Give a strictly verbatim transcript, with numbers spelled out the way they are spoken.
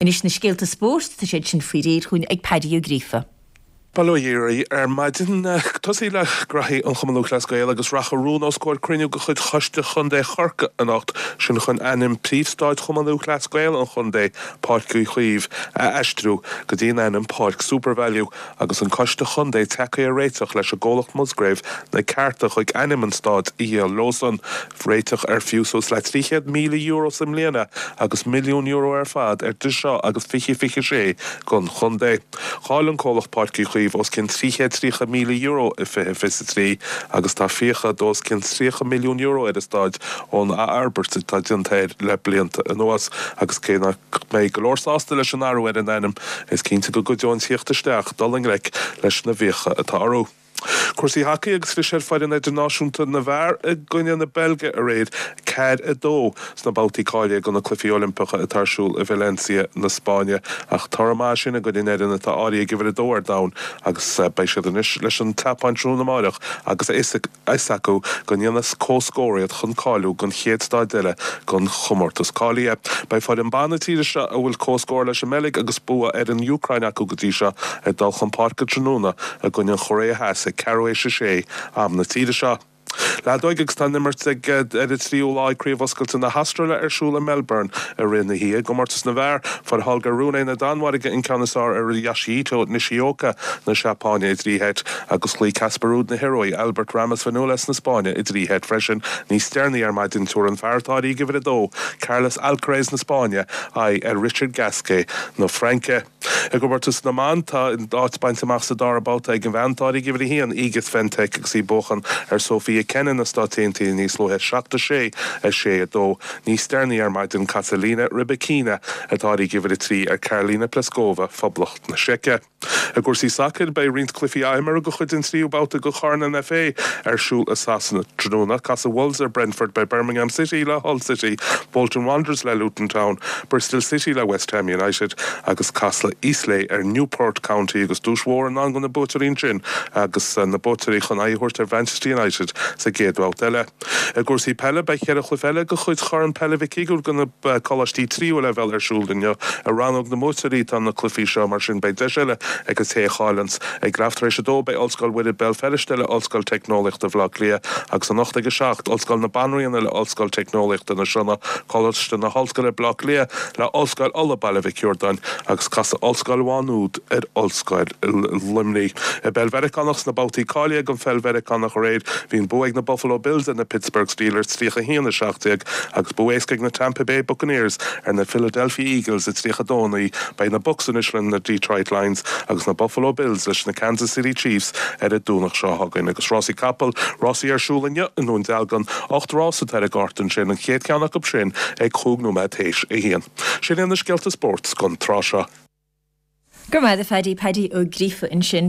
Anois na scéalta spóirt tá siad sin faoi réir chugainn ag Paddy Ó Gríofa. Bail ó Dhia oraibh ar maidin tosaí le graithí an Chumann Lúthchleas Gael agus rachaidh rún os comhair cruinniú de chuid Choiste Chontae Chorcaí anocht sin chun ainm príomhstaid Chumann Lúthchleas Gael an chontae Páirc Uí Chaoimh a aistriú go dtí an ainm Páirc Supervalu agus an Coiste Chontae tagtha ar réiteach leis an gcomhlacht Musgrave na cearta chuig ainm an staid a dhíol leosan réiteach ar fiú suas le trí chéad míle euro sa mbliana agus milliún euro ar fad idir seo agus fiche fiche sé don chontae. Chaill an comhlacht Páirc Uí Chaoimh os cionn trí chéad tríocha míle euro i fiche fiche trí agus tá fiacha os cionn tríocha milliún euro ar an staid ón athfhorbairt atá déanta air le blianta anuas agus cé nach mbeidh go leor sásta leis an athrú ar an ainm is cinnte go gcuideoidh an tíocht isteach dul i ngleic leis na fiacha atá orthu. Cúrsaí hacaí agus chlis ar foireann idirnáisiúnta na bhfear i gcoinne na Beilge aréir ceathair a dó sna babhtaí cáilithe do na Cluichí Oilimpeacha atá ar siúl i Valencia na Spáinne ach toradh maith sin i gcoinne an fhoireann atá áirithe ag uimhir a dó ar domhan agus beidh siad anois leis an tSeapáin tráthnóna amárach agus a fhios acu go ndéanfas comhscór iad chun cáiliú don chéad staid eile den chomórtas cáilithe. Beidh foireann ban na tíre seo a bhfuil comhscór leis an mBeilg agus bua ar an Úcráin acu go dtí seo ag dul chun páirce tráthnóna i gcoinne an Chóiré Theas ag ceathrú théis a sé am na tíre seo. Leadóg agus tá an imirt ag ar an tríú lá Craobh Oscailte na hAstráile ar siúl i Melbourne i rith na hoíche i gcomórtas na bhfear fuair Holger Rune na Danmhairge an ceann is fearr ar Yoshihito Nishioka na Seapáine i dtrí sheit agus chloígh Casper Ruud na hIorua Albert Ramos Viñolas na Spáinne i dtrí sheit freisin níos deireanaí ar maidin tabharfaidh an fear atá ag uimhir a dó Carlos Alcaraz na Spáinne aghaidh ar Richard Gasquet na Fraince. I gcomórtas na mban tá áit bainte amach sa dara babhta ag an bhean atá ag uimhir a haon Iga Swiatek agus í ag buachan ar Sofia Kenin na Stáit Aontaithe níos luaithe seacht a sé a sé a dó níos deireanaí ar maidin casfaidh Elena Rybakina atá ag uimhir a trí ar Karolina Pliskova Phoblacht na Seice. I gcúrsaí sacair beidh roinnt cluichí athímeartha de chuid an tríú babhta de Chorn an FA ar siúl i Sasana tráthnóna casfaidh Wolves ar Brentford beidh Birmingham City le Hull City, Bolton Wanderers le Luton Town, Bristol City le West Ham United agus casfaidh Eastleigh ar Newport County agus duais mhór i ndán do na buaiteoirí sin agus na buaiteoirí chun aghaidh a thabhairt ar Manchester United sa gcéad bhabhta eile. I gcúrsaí peile beidh ceithre chluiche eile de chuid Chorn Peile Mhic Uidhir do na coláistí tríú leibhéal ar siúl inniu i rannóg na mbuaiteoirí tá na cluichí seo mar sin beidh deis eile ag an té a chailleanns ag leath tar éis a dó beidh Ollscoil Mhuire Béal Feirste le Ollscoil Teicneolaíochta Bhaile Átha Cliath agus anocht ag a seacht Ollscoil na Banríona le Ollscoil Teicneolaíochta na Sionna Coláiste na hOllscoile Baile Átha Cliath le Ollscoil Uladh Baile Mhic Riordáin agus casfaidh Ollscoil Mhá Nuad ar Ollscoil Luimnigh. I bpeil Mheiriceánach sna babhtaí cáilithe don pheil Mheiriceánach aréir bhí an bua ag na Buffalo Bills ar na Pittsburgh Steelers tríocha haon a seacht déag agus bua éasca ag na Tampa Bay Buccaneers ar na Philadelphia Eagles a tríocha dó naoi beidh na Bucs anois le na Detroit Lions agus na Buffalo Bills leis na Kansas City Chiefs ar an Domhnach seo chugainn agus rásaí capall rásaí ar siúl inniu i nDún Dealgan ocht rás atá ar an gcárta sin an chéad cheann acu sin ag cúig nóiméad théis a haon. Sin na scéalta spóirt don tráth seo. Gur maith a Phaddy Paddy Ó Gríofa ansin.